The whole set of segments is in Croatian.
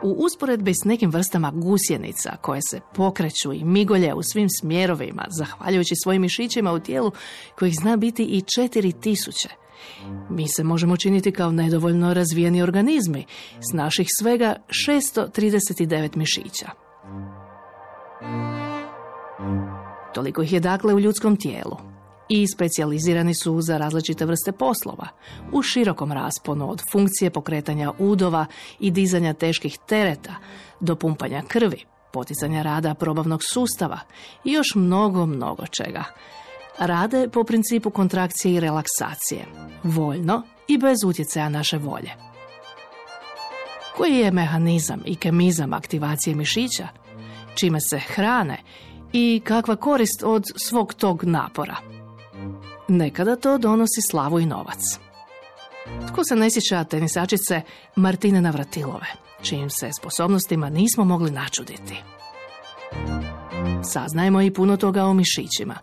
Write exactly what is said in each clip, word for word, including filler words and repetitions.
U usporedbi s nekim vrstama gusjenica koje se pokreću i migolje u svim smjerovima, zahvaljujući svojim mišićima u tijelu kojih zna biti i četiri tisuće, mi se možemo činiti kao nedovoljno razvijeni organizmi s naših svega šesto trideset devet mišića. Toliko ih je dakle u ljudskom tijelu i specijalizirani su za različite vrste poslova, u širokom rasponu od funkcije pokretanja udova i dizanja teških tereta do pumpanja krvi, poticanja rada probavnog sustava i još mnogo, mnogo čega. Rade po principu kontrakcije i relaksacije, voljno i bez utjecaja naše volje. Koji je mehanizam i kemizam aktivacije mišića, čime se hrane i kakva korist od svog tog napora? Nekada to donosi slavu i novac. Tko se ne sjeća tenisačice Martine Navratilove, čijim se sposobnostima nismo mogli načuditi? Saznajemo i puno toga o mišićima,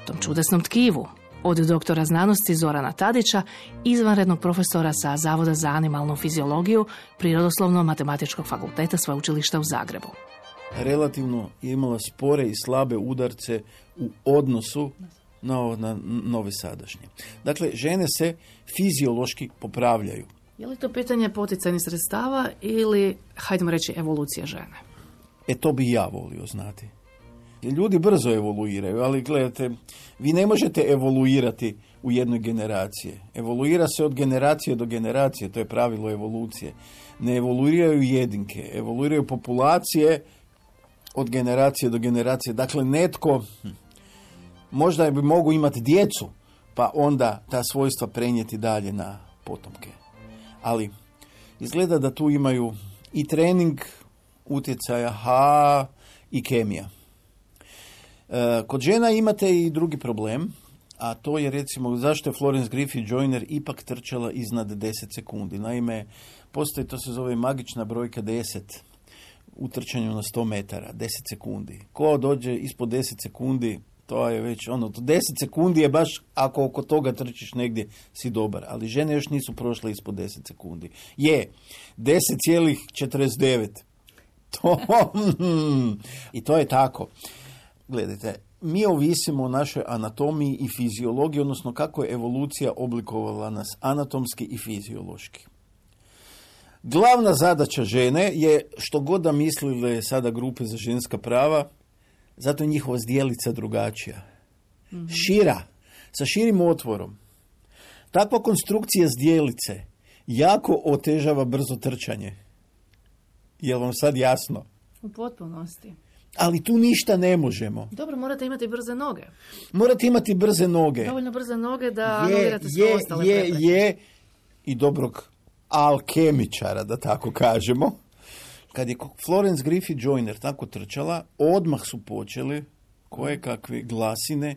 tom čudesnom tkivu, od doktora znanosti Zorana Tadića, izvanrednog profesora sa Zavoda za animalnu fiziologiju Prirodoslovno-matematičkog fakulteta Sveučilišta u Zagrebu. Relativno je imala spore i slabe udarce u odnosu na, na nove sadašnje. Dakle, žene se fiziološki popravljaju. Je li to pitanje poticajnih sredstava ili, hajdemo reći, evolucija žene? E, to bi ja volio znati. Ljudi brzo evoluiraju, ali gledajte, vi ne možete evoluirati u jednoj generaciji. Evoluira se od generacije do generacije, to je pravilo evolucije. Ne evoluiraju jedinke, evoluiraju populacije od generacije do generacije. Dakle, netko možda bi mogu imati djecu, pa onda ta svojstva prenijeti dalje na potomke. Ali izgleda da tu imaju i trening utjecaja, ha, i kemija. E, kod žena imate i drugi problem, a to je recimo zašto je Florence Griffith Joyner ipak trčala iznad deset sekundi. Naime, postoji, to se zove magična brojka deset u trčanju na sto metara, deset sekundi. Ko dođe ispod deset sekundi, to je već ono, deset sekundi je baš, ako oko toga trčiš negdje, si dobar. Ali žene još nisu prošle ispod deset sekundi. Je, deset zarez četrdeset devet. To, i to je tako. Gledajte, mi ovisimo o našoj anatomiji i fiziologiji, odnosno kako je evolucija oblikovala nas anatomski i fiziološki. Glavna zadaća žene je, što god da mislile sada grupe za ženska prava, zato je njihova zdjelica drugačija. Mm-hmm. Šira, sa širim otvorom. Takva konstrukcija zdjelice jako otežava brzo trčanje. Je li vam sad jasno? U potpunosti. Ali tu ništa ne možemo. Dobro, morate imati brze noge. Morate imati brze noge. Dovoljno brze noge da je, anulirate sve ostale je, prepreke. Je, je, i dobrog alkemičara, da tako kažemo. Kad je Florence Griffith Joyner tako trčala, odmah su počeli koje kakve glasine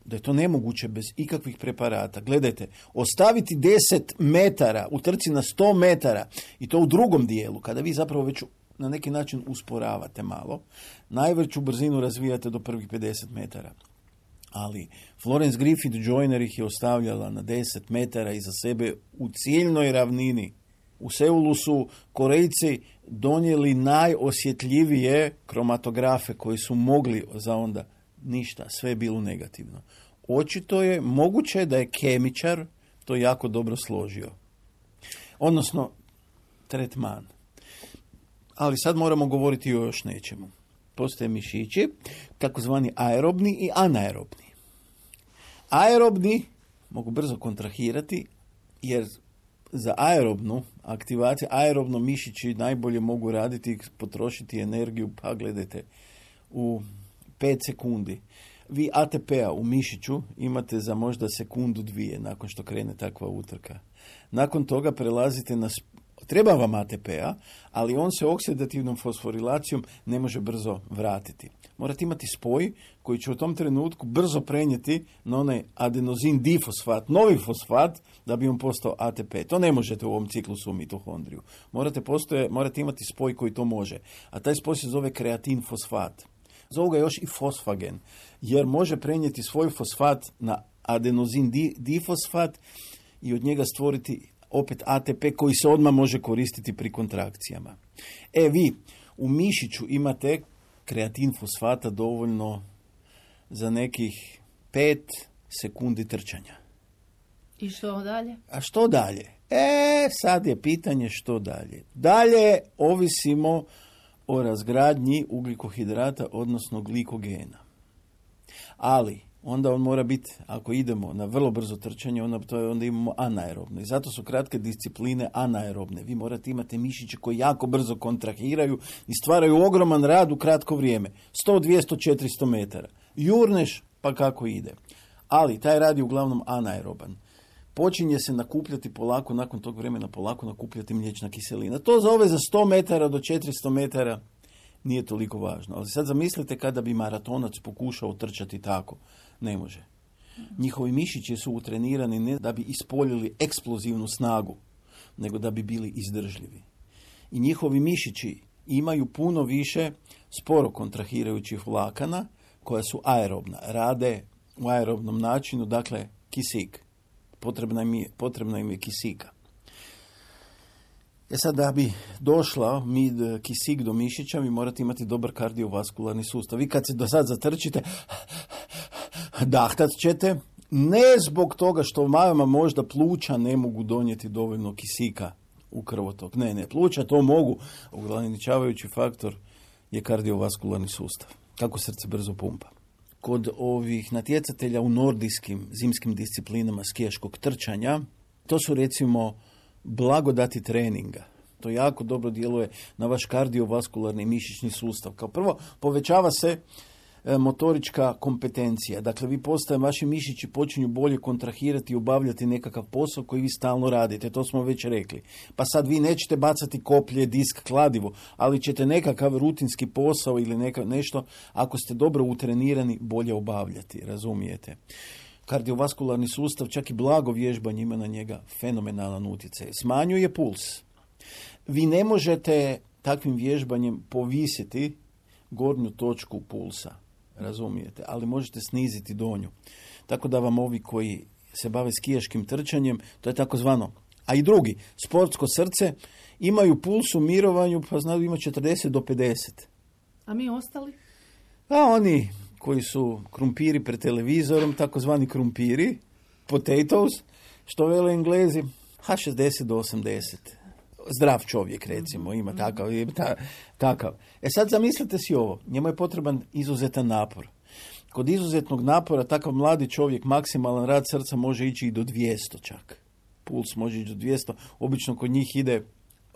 da je to nemoguće bez ikakvih preparata. Gledajte, ostaviti deset metara u trci na sto metara i to u drugom dijelu, kada vi zapravo već na neki način usporavate malo, najveću brzinu razvijate do prvih pedeset metara. Ali Florence Griffith Joyner ih je ostavljala na deset metara iza sebe u ciljnoj ravnini. U Seulu su Korejci donijeli najosjetljivije kromatografe koji su mogli za onda. Ništa, sve je bilo negativno. Očito je moguće da je kemičar to jako dobro složio. Odnosno, tretman. Ali sad moramo govoriti o još nečemu. Postoje mišići, takozvani aerobni i anaerobni. Aerobni mogu brzo kontrahirati, jer za aerobnu aktivaciju, aerobno mišići najbolje mogu raditi i potrošiti energiju, pa gledajte, u pet sekundi. Vi A T P-a u mišiću imate za možda sekundu dvije nakon što krene takva utrka. Nakon toga prelazite na... Treba vam A T P-a, ali on se oksidativnom fosforilacijom ne može brzo vratiti. Morate imati spoj koji će u tom trenutku brzo prenijeti na onaj adenozin difosfat, novi fosfat, da bi on postao A T P. To ne možete u ovom ciklusu u mitohondriju. Morate, postoje, morate imati spoj koji to može. A taj spoj se zove kreatin fosfat. Zovu ga još i fosfagen, jer može prenijeti svoj fosfat na adenozin di, difosfat i od njega stvoriti opet A T P koji se odmah može koristiti pri kontrakcijama. E vi, u mišiću imate kreatin fosfata dovoljno za nekih pet sekundi trčanja. I što dalje? A što dalje? E, sad je pitanje što dalje. Dalje ovisimo o razgradnji ugljikohidrata, odnosno glikogena. Ali, onda on mora biti, ako idemo na vrlo brzo trčanje, onda, to je, onda imamo anaerobno. I zato su kratke discipline anaerobne. Vi morate imati mišiće koji jako brzo kontrahiraju i stvaraju ogroman rad u kratko vrijeme. sto, dvjesto, četiristo metara. Jurneš, pa kako ide. Ali, taj rad je uglavnom anaeroban. Počinje se nakupljati polako, nakon tog vremena polako nakupljati mliječna kiselina. To za ove za sto metara do četiristo metara nije toliko važno. Ali sad zamislite kada bi maratonac pokušao trčati tako. Ne može. Njihovi mišići su utrenirani ne da bi ispoljili eksplozivnu snagu, nego da bi bili izdržljivi. I njihovi mišići imaju puno više sporo kontrahirajućih vlakana koja su aerobna. Rade u aerobnom načinu, dakle kisik. Potrebna im je, potrebna im je kisika. E sad, da bi došla mi kisik do mišića, vi morate imati dobar kardiovaskularni sustav. Vi kad se do sad zatrčite, dahtat ćete, ne zbog toga što vama možda pluća ne mogu donijeti dovoljno kisika u krvotok. Ne, ne, pluća to mogu. Ograničavajući faktor je kardiovaskularni sustav. Kako srce brzo pumpa. Kod ovih natjecatelja u nordijskim zimskim disciplinama skijaškog trčanja, to su recimo blagodati treninga. To jako dobro djeluje na vaš kardiovaskularni mišićni sustav. Kao prvo, povećava se e, motorička kompetencija. Dakle, vi postaje, vaši mišići počinju bolje kontrahirati i obavljati nekakav posao koji vi stalno radite. To smo već rekli. Pa sad vi nećete bacati koplje, disk, kladivo, ali ćete nekakav rutinski posao ili neka, nešto, ako ste dobro utrenirani, bolje obavljati. Razumijete? Kardiovaskularni sustav, čak i blago vježbanje ima na njega fenomenalan utjecaj. Smanjuje puls. Vi ne možete takvim vježbanjem povisiti gornju točku pulsa, razumijete, ali možete sniziti donju. Tako da vam ovi koji se bave skijaškim trčanjem, to je takozvano, a i drugi, sportsko srce, imaju puls u mirovanju, pa znaju ima četrdeset do pedeset. A mi ostali? A oni koji su krumpiri pred televizorom, takozvani krumpiri, potatoes, što vele Englezi, ha šezdeset do osamdeset. Zdrav čovjek, recimo, ima takav, ima ta, takav. E sad zamislite si ovo, njemu je potreban izuzetan napor. Kod izuzetnog napora takav mladi čovjek, maksimalan rad srca može ići i do dvjesto čak. Puls može ići do dvjesto, obično kod njih ide,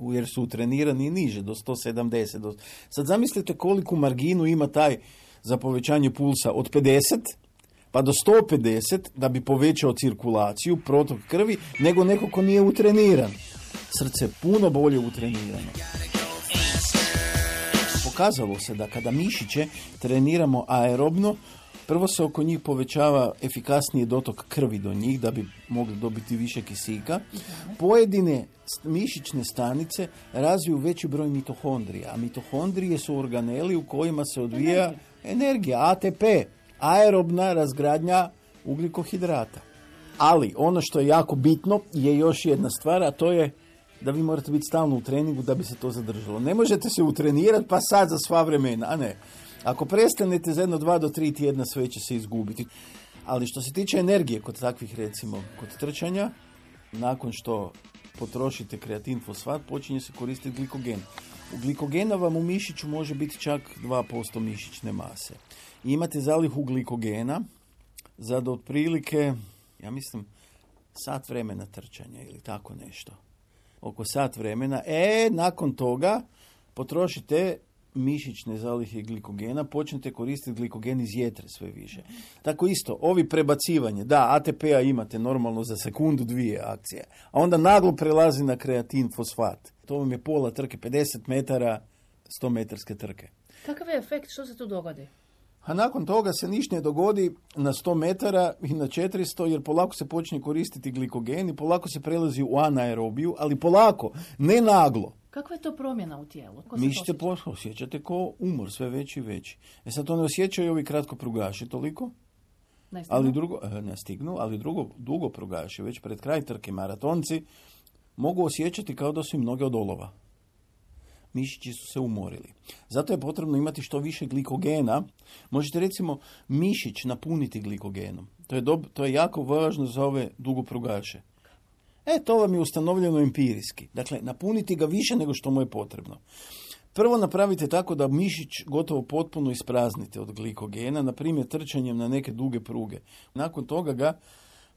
jer su utrenirani i niže, do sto sedamdeset. Do... Sad zamislite koliku marginu ima taj za povećanje pulsa od pedeset pa do sto pedeset da bi povećao cirkulaciju, protok krvi, nego neko ko nije utreniran. Srce je puno bolje utrenirano. Pokazalo se da kada mišiće treniramo aerobno, prvo se oko njih povećava efikasniji dotok krvi do njih da bi mogli dobiti više kisika. Pojedine mišićne stanice razviju veći broj mitohondrija, a mitohondrije su organeli u kojima se odvija energija, A T P, aerobna razgradnja ugljikohidrata. Ali ono što je jako bitno je još jedna stvar, a to je da vi morate biti stalno u treningu da bi se to zadržalo. Ne možete se utrenirati pa sad za sva vremena, a ne. Ako prestanete za jedno, dva do tri tjedna, sve će se izgubiti. Ali što se tiče energije kod takvih, recimo, kod trčanja, nakon što potrošite kreatin fosfat, počinje se koristiti glikogen. U glikogena vam u mišiću može biti čak dva posto mišićne mase. I imate zalihu glikogena za do otprilike, ja mislim, sat vremena trčanja ili tako nešto. Oko sat vremena. E, nakon toga potrošite mišićne zalihe glikogena, počnete koristiti glikogen iz jetre sve više. Tako isto, ovi prebacivanje, da, A T P-a imate normalno za sekundu, dvije akcije, a onda naglo prelazi na kreatin fosfat. To vam je pola trke, pedeset metara, sto metarske trke. Kakav je efekt? Što se tu dogodi? A nakon toga se ništa ne dogodi na sto metara i na četiristo, jer polako se počne koristiti glikogen i polako se prelazi u anaerobiju, ali polako, ne naglo. Kakva je to promjena u tijelu? Mišiće osjećate ko umor, sve veći i veći. E sad to ne osjećaju ovi kratko prugaši toliko, ne ali drugo, ne stignu, ali drugo, dugo prugaši, već pred kraj trke maratonci, mogu osjećati kao da su im noge od olova. Mišići su se umorili. Zato je potrebno imati što više glikogena. Možete recimo mišić napuniti glikogenom. To je, dob- to je jako važno za ove dugoprugaše. E, to vam je ustanovljeno empirijski. Dakle, napuniti ga više nego što mu je potrebno. Prvo napravite tako da mišić gotovo potpuno ispraznite od glikogena, na primjer trčanjem na neke duge pruge. Nakon toga ga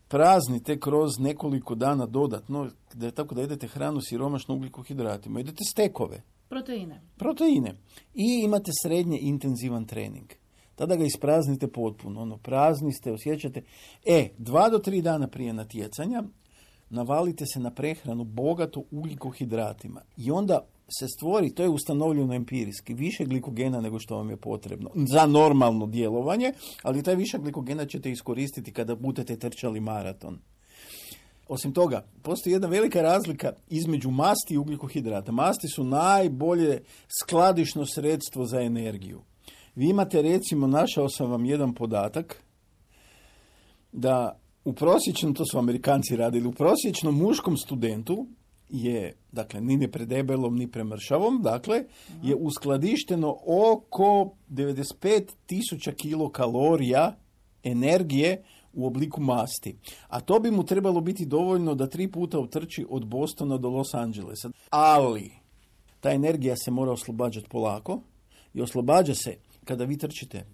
praznite kroz nekoliko dana dodatno, da, tako da jedete hranu siromašnu ugljikohidratima. Jedete stekove. Proteine. Proteine. I imate srednje intenzivan trening. Tada ga ispraznite potpuno. Ono, prazni ste, osjećate. E, dva do tri dana prije natjecanja navalite se na prehranu bogato ugljikohidratima. I onda se stvori, to je ustanovljeno empirijski, više glikogena nego što vam je potrebno za normalno djelovanje, ali taj višak glikogena ćete iskoristiti kada budete trčali maraton. Osim toga, postoji jedna velika razlika između masti i ugljikohidrata. Masti su najbolje skladišno sredstvo za energiju. Vi imate, recimo, našao sam vam jedan podatak, da u prosječnom, to su Amerikanci radili, u prosječnom muškom studentu je, dakle, ni ne predebelom, ni premršavom, dakle, je uskladišteno oko devedeset pet tisuća kilokalorija energije u obliku masti. A to bi mu trebalo biti dovoljno da tri puta utrči od Bostona do Los Angelesa. Ali ta energija se mora oslobađati polako i oslobađa se kada vi trčite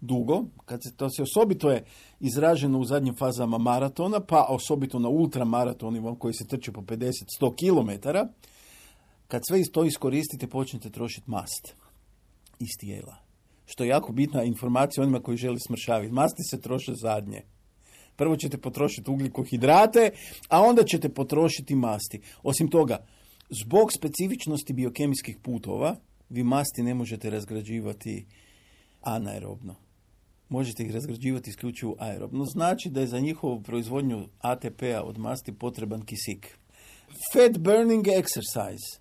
dugo, kad se, to se osobito je izraženo u zadnjim fazama maratona, pa osobito na ultramaratonima koji se trče po pedeset do sto kilometara, kad sve to iskoristite, počnete trošiti mast iz tijela. Što je jako bitna informacija onima koji žele smršaviti. Masti se troše zadnje. Prvo ćete potrošiti ugljikohidrate, a onda ćete potrošiti masti. Osim toga, zbog specifičnosti biokemijskih putova, vi masti ne možete razgrađivati anaerobno. Možete ih razgrađivati isključivo aerobno. Znači da je za njihovu proizvodnju A T P-a od masti potreban kisik. Fat burning exercise.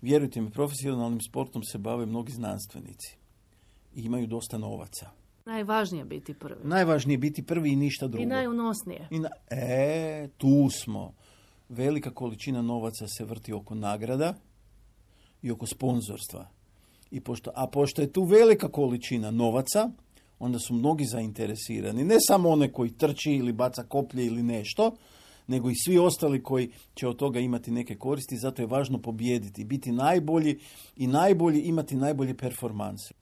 Vjerujte mi, profesionalnim sportom se bave mnogi znanstvenici. I imaju dosta novaca. Najvažnije je biti prvi. Najvažnije je biti prvi i ništa drugo. I najunosnije. I na... E, tu smo. Velika količina novaca se vrti oko nagrada i oko sponzorstva. I pošto, a pošto je tu velika količina novaca, onda su mnogi zainteresirani. Ne samo one koji trči ili baca koplje ili nešto, nego i svi ostali koji će od toga imati neke koristi. Zato je važno pobijediti, biti najbolji i najbolji, imati najbolje performanse.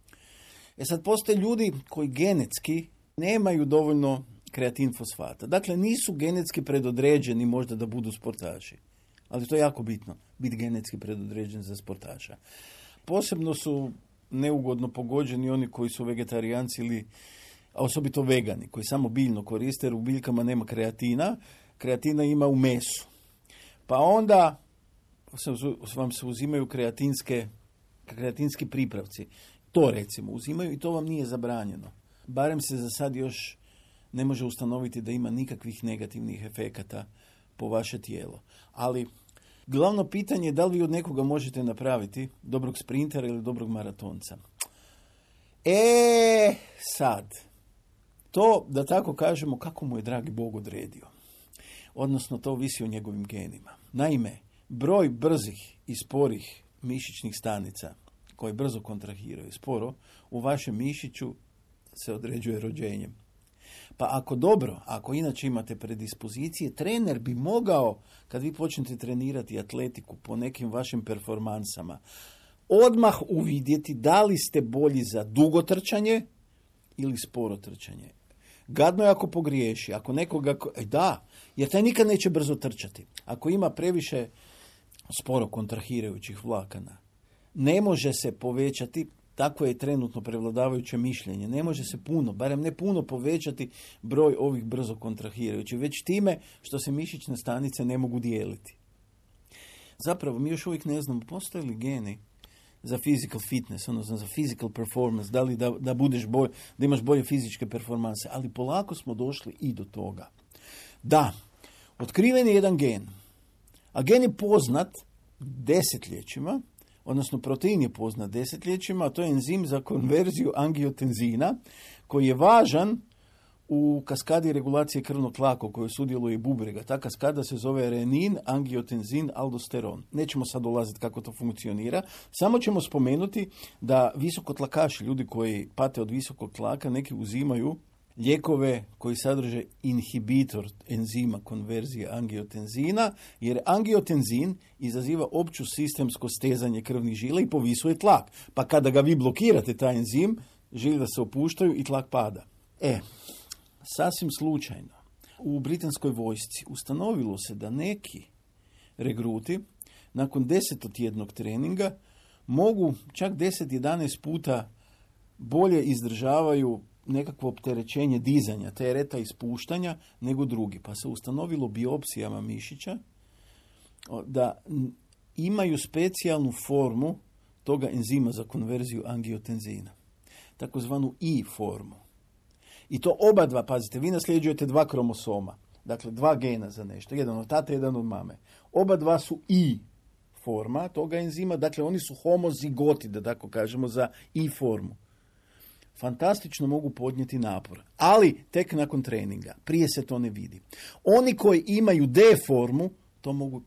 E sad, postoje ljudi koji genetski nemaju dovoljno kreatin fosfata. Dakle, nisu genetski predodređeni možda da budu sportaši. Ali to je jako bitno, biti genetski predodređen za sportaša. Posebno su neugodno pogođeni oni koji su vegetarijanci ili, a osobito vegani, koji samo biljno koriste, jer u biljkama nema kreatina. Kreatina ima u mesu. Pa onda vam se uzimaju kreatinske, kreatinski pripravci. To recimo uzimaju i to vam nije zabranjeno. Barem se za sad još ne može ustanoviti da ima nikakvih negativnih efekata po vaše tijelo. Ali glavno pitanje je da li vi od nekoga možete napraviti dobrog sprintera ili dobrog maratonca. E, sad, to, da tako kažemo, kako mu je dragi Bog odredio. Odnosno, to ovisi o njegovim genima. Naime, broj brzih i sporih mišićnih stanica koje brzo kontrahiraju sporo, u vašem mišiću se određuje rođenjem. Pa ako dobro, ako inače imate predispozicije, trener bi mogao, kad vi počnete trenirati atletiku po nekim vašim performansama, odmah uvidjeti da li ste bolji za dugo trčanje ili sporo trčanje. Gadno je ako pogriješi, ako nekoga... Da, jer taj nikad neće brzo trčati. Ako ima previše sporo kontrahirajućih vlakana, ne može se povećati, tako je trenutno prevladavajuće mišljenje, ne može se puno, barem ne puno povećati broj ovih brzo kontrahirajućih, već time što se mišićne stanice ne mogu dijeliti. Zapravo, mi još uvijek ne znamo, postoje li geni za physical fitness, odnosno za physical performance, da li da, da, budeš bolj, da imaš bolje fizičke performanse, ali polako smo došli i do toga. Da, otkriven je jedan gen, a gen je poznat desetljećima, odnosno protein je poznat desetljećima, a to je enzim za konverziju angiotenzina, koji je važan u kaskadi regulacije krvnog tlaka u kojoj sudjeluje i bubrega. Ta kaskada se zove renin, angiotenzin, aldosteron. Nećemo sad ulaziti kako to funkcionira, samo ćemo spomenuti da visokotlakaši, ljudi koji pate od visokog tlaka, neki uzimaju lijekove koji sadrže inhibitor enzima konverzije angiotenzina, jer angiotenzin izaziva opću sistemsko stezanje krvnih žila i povisuje tlak. Pa kada ga vi blokirate, taj enzim, žile se opuštaju i tlak pada. E, sasvim slučajno, u britanskoj vojsci ustanovilo se da neki regruti nakon desetotjednog treninga mogu čak deset do jedanaest puta bolje izdržavaju nekakvo opterećenje dizanja, tereta i spuštanja nego drugi. Pa se ustanovilo biopsijama mišića da imaju specijalnu formu toga enzima za konverziju angiotenzina, takozvanu I formu. I to oba dva, pazite, vi nasljeđujete dva kromosoma, dakle dva gena za nešto, jedan od tate, jedan od mame. Oba dva su I forma toga enzima, dakle oni su homozigoti, da tako kažemo, za I formu. Fantastično mogu podnijeti napor, ali tek nakon treninga. Prije se to ne vidi. Oni koji imaju D formu, to mogu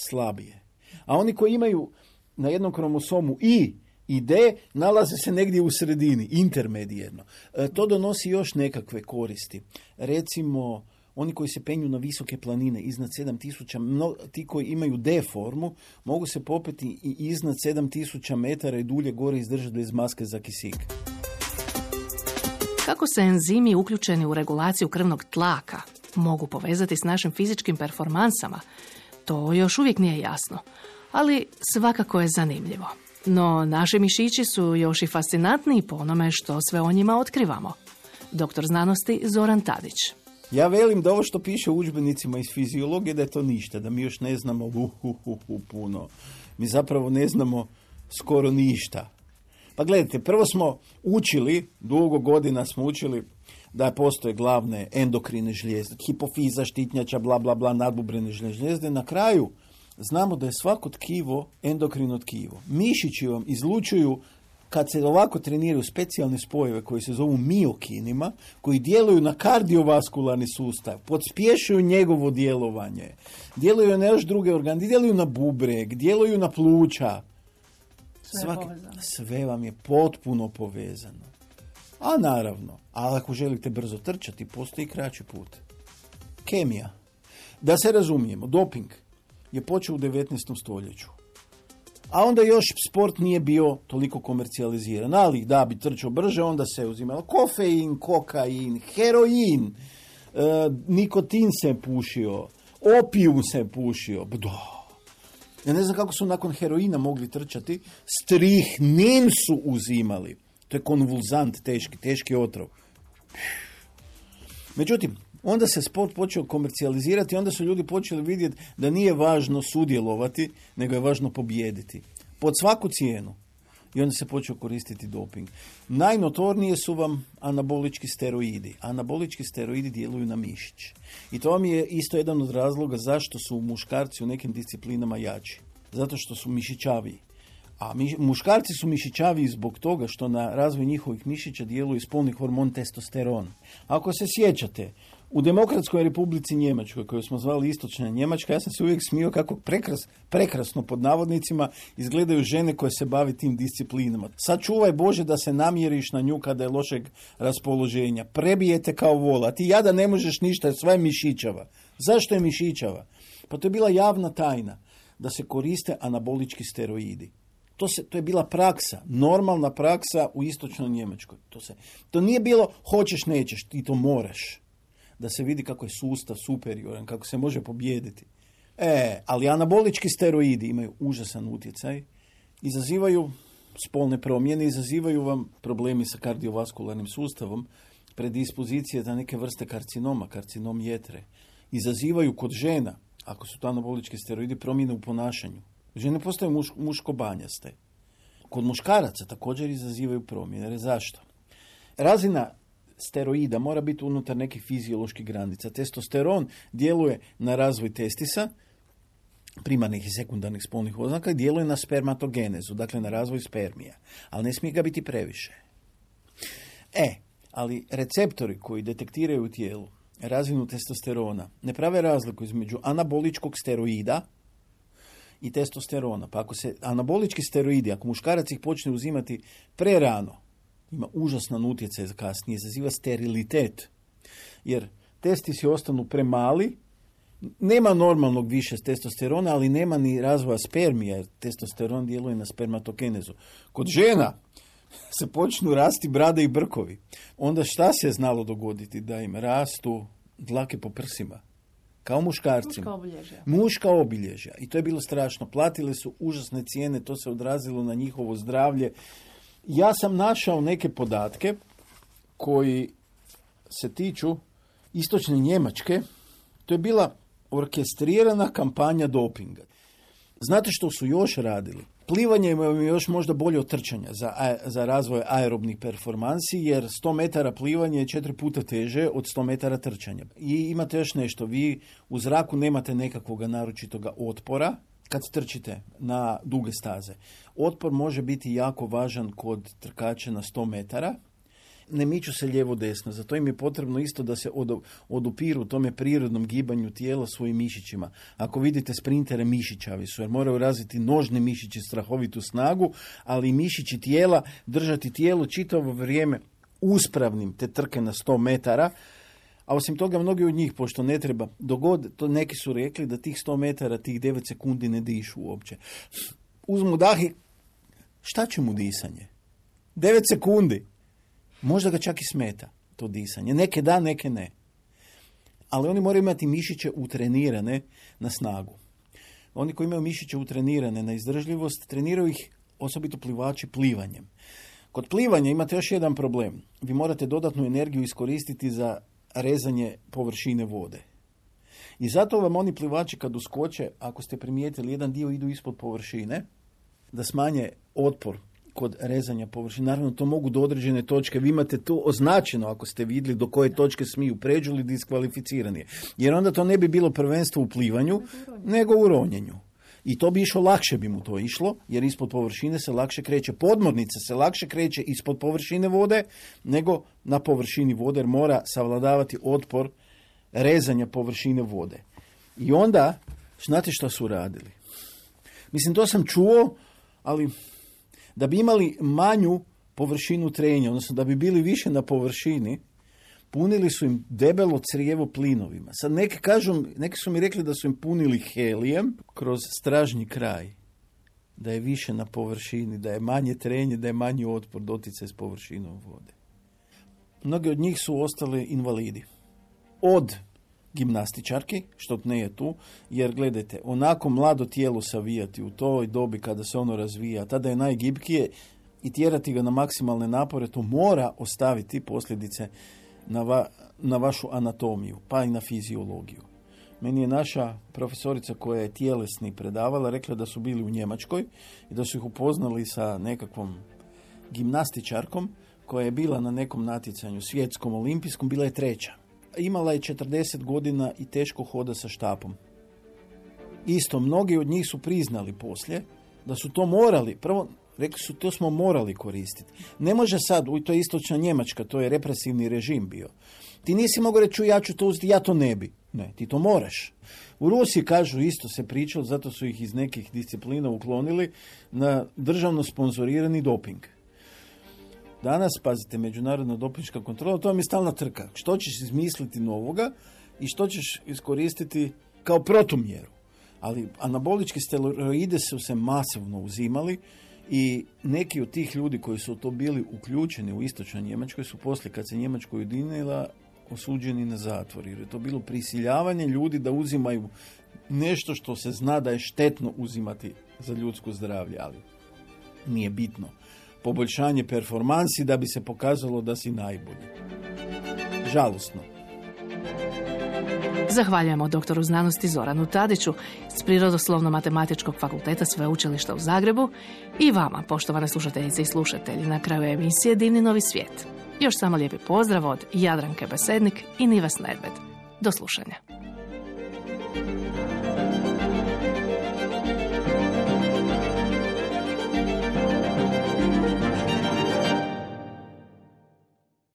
slabije. A oni koji imaju na jednom kromosomu I i D, nalaze se negdje u sredini, intermedijerno. E, to donosi još nekakve koristi. Recimo, oni koji se penju na visoke planine iznad sedam tisuća, no, ti koji imaju D formu, mogu se popeti i iznad sedam tisuća metara i dulje gore izdržati bez maske za kisik. Kako se enzimi uključeni u regulaciju krvnog tlaka mogu povezati s našim fizičkim performansama, to još uvijek nije jasno, ali svakako je zanimljivo. No, naši mišići su još i fascinantniji po onome što sve o njima otkrivamo. Doktor znanosti Zoran Tadić. Ja velim da ovo što piše u udžbenicima iz fiziologije da je to ništa, da mi još ne znamo uh, uh, uh, uh, puno. Mi zapravo ne znamo skoro ništa. Pa gledajte, prvo smo učili, dugo godina smo učili da postoje glavne endokrine žlijezde, hipofiza, štitnjača, bla, bla, bla, nadbubrene žlijezde. Na kraju znamo da je svako tkivo endokrino tkivo. Mišići vam izlučuju, kad se ovako treniraju, specijalne spojeve koji se zovu miokinima, koji djeluju na kardiovaskularni sustav, podspješuju njegovo djelovanje, djeluju na još druge organe, djeluju na bubreg, djeluju na pluća. Sve, Svaki, sve vam je potpuno povezano. A naravno, ali ako želite brzo trčati, postoji kraći put. Kemija. Da se razumijemo, doping je počeo u devetnaestom stoljeću. A onda još sport nije bio toliko komercijaliziran. Ali da bi trčao brže, onda se uzimalo kofein, kokain, heroin, e, nikotin se pušio, opijum se pušio. Da. Ja ne znam kako su nakon heroina mogli trčati. Strihnin su uzimali. To je konvulzant, teški, teški otrov. Međutim, onda se sport počeo komercijalizirati, onda su ljudi počeli vidjeti da nije važno sudjelovati, nego je važno pobijediti. Pod svaku cijenu. I onda se počeo koristiti doping. Najnotornije su vam anabolički steroidi. Anabolički steroidi djeluju na mišić. I to vam je isto jedan od razloga zašto su muškarci u nekim disciplinama jači. Zato što su mišićaviji. A mi, muškarci su mišićaviji zbog toga što na razvoj njihovih mišića djeluje spolni hormon testosteron. Ako se sjećate, u Demokratskoj Republici Njemačkoj, koju smo zvali Istočna Njemačka, ja sam se uvijek smio kako prekras, prekrasno pod navodnicima izgledaju žene koje se bave tim disciplinama. Sad čuvaj Bože da se namjeriš na nju kada je lošeg raspoloženja. Prebijete kao vola. Ti jada ne možeš ništa, sve je mišićava. Zašto je mišićava? Pa to je bila javna tajna da se koriste anabolički steroidi. To, se, to je bila praksa, normalna praksa u Istočnoj Njemačkoj. To, se, to nije bilo hoćeš, nećeš, ti to moraš. Da se vidi kako je sustav superioran, kako se može pobijediti. E, ali anabolički steroidi imaju užasan utjecaj, izazivaju spolne promjene, izazivaju vam problemi sa kardiovaskularnim sustavom, predispozicije za neke vrste karcinoma, karcinom jetre. Izazivaju kod žena, ako su to anabolički steroidi, promjene u ponašanju. Žene postaju muš, muško-banjaste. Kod muškaraca također izazivaju promjene. Zašto? Razina steroida mora biti unutar nekih fizioloških granica. Testosteron djeluje na razvoj testisa, primarnih i sekundarnih spolnih oznaka, i djeluje na spermatogenezu, dakle na razvoj spermija. Ali ne smije ga biti previše. E, Ali receptori koji detektiraju u tijelu razinu testosterona ne prave razliku između anaboličkog steroida i testosterona. Pa ako se anabolički steroidi, ako muškarac ih počne uzimati prerano, ima užasan utjecaj za kasnije, izaziva sterilitet. Jer testisi ostanu premali, nema normalnog više testosterona, ali nema ni razvoja spermija, jer testosteron djeluje na spermatogenezu. Kod žena se počnu rasti brade i brkovi. Onda šta se je znalo dogoditi? Da im rastu dlake po prsima. Kao muškarcima. Muška obilježja. Muška obilježja. I to je bilo strašno. Platili su užasne cijene, to se odrazilo na njihovo zdravlje. Ja sam našao neke podatke koji se tiču istočne Njemačke. To je bila orkestrirana kampanja dopinga. Znate što su još radili? Plivanje je još možda bolje od trčanja za, za razvoj aerobnih performansi, jer sto metara plivanje je četiri puta teže od sto metara trčanja. I imate još nešto, vi u zraku nemate nekakvog naročitoga otpora kad trčite na duge staze. Otpor može biti jako važan kod trkača na sto metara. Ne miču se lijevo-desno, zato im je potrebno isto da se odupiru tome prirodnom gibanju tijela svojim mišićima. Ako vidite sprintere, mišićavi su, jer moraju razviti nožni mišići strahovitu snagu, ali i mišići tijela držati tijelo čitavo vrijeme uspravnim te trke na sto metara, a osim toga mnogi od njih, pošto ne treba, dogod, to neki su rekli da tih sto metara, tih devet sekundi ne dišu uopće. Uzmu dah i šta će mu disanje? devet sekundi. Možda ga čak i smeta to disanje. Neke da, neke ne. Ali oni moraju imati mišiće utrenirane na snagu. Oni koji imaju mišiće utrenirane na izdržljivost, treniraju ih osobito plivači plivanjem. Kod plivanja imate još jedan problem. Vi morate dodatnu energiju iskoristiti za rezanje površine vode. I zato vam oni plivači kad uskoče, ako ste primijetili, jedan dio idu ispod površine, da smanje otpor kod rezanja površine. Naravno, to mogu do određene točke. Vi imate to označeno, ako ste vidjeli do koje točke smiju pređu ili diskvalificirani. Jer onda to ne bi bilo prvenstvo u plivanju, nego u ronjenju. I to bi išlo, lakše bi mu to išlo, jer ispod površine se lakše kreće. Podmornica se lakše kreće ispod površine vode, nego na površini vode, jer mora savladavati otpor rezanja površine vode. I onda, znate što su radili? Mislim, to sam čuo, ali da bi imali manju površinu trenja, odnosno da bi bili više na površini, punili su im debelo crijevo plinovima. Sad neki kažu, neki su mi rekli da su im punili helijem kroz stražnji kraj, da je više na površini, da je manje trenje, da je manji otpor doticaj s površinom vode. Mnogi od njih su ostali invalidi. Od gimnastičarki, što ne je tu, jer gledajte, onako mlado tijelo savijati u toj dobi kada se ono razvija, tada je najgibkije i tjerati ga na maksimalne napore, to mora ostaviti posljedice na, va, na vašu anatomiju, pa i na fiziologiju. Meni je naša profesorica koja je tjelesni predavala rekla da su bili u Njemačkoj i da su ih upoznali sa nekakvom gimnastičarkom koja je bila na nekom natjecanju svjetskom, olimpijskom, bila je treća. Imala je četrdeset godina i teško hoda sa štapom. Isto, mnogi od njih su priznali poslije da su to morali, prvo rekli su to smo morali koristiti. Ne može sad, u to je istočna Njemačka, to je represivni režim bio. Ti nisi mogao reći ja ću to uzeti, ja to ne bi. Ne, ti to moraš. U Rusiji, kažu, isto se pričalo, zato su ih iz nekih disciplina uklonili na državno sponzorirani doping. Danas, pazite, međunarodna dopinška kontrola, to vam je stalna trka. Što ćeš izmisliti novoga i što ćeš iskoristiti kao protumjeru. Ali anabolički steroide su se masivno uzimali i neki od tih ljudi koji su to bili uključeni u istočnoj Njemačkoj su poslije, kad se Njemačka ujedinila, osuđeni na zatvor. Jer je to bilo prisiljavanje ljudi da uzimaju nešto što se zna da je štetno uzimati za ljudsko zdravlje, ali nije bitno. Poboljšanje performansi da bi se pokazalo da si najbolji. Žalosno. Zahvaljujemo doktoru znanosti Zoranu Tadiću s Prirodoslovno-matematičkog fakulteta Sveučilišta u Zagrebu i vama, poštovane slušateljice i slušatelji, na kraju emisije Divni novi svijet. Još samo lijepi pozdrav od Jadranke Besednik i Nivas Nedved. Do slušanja.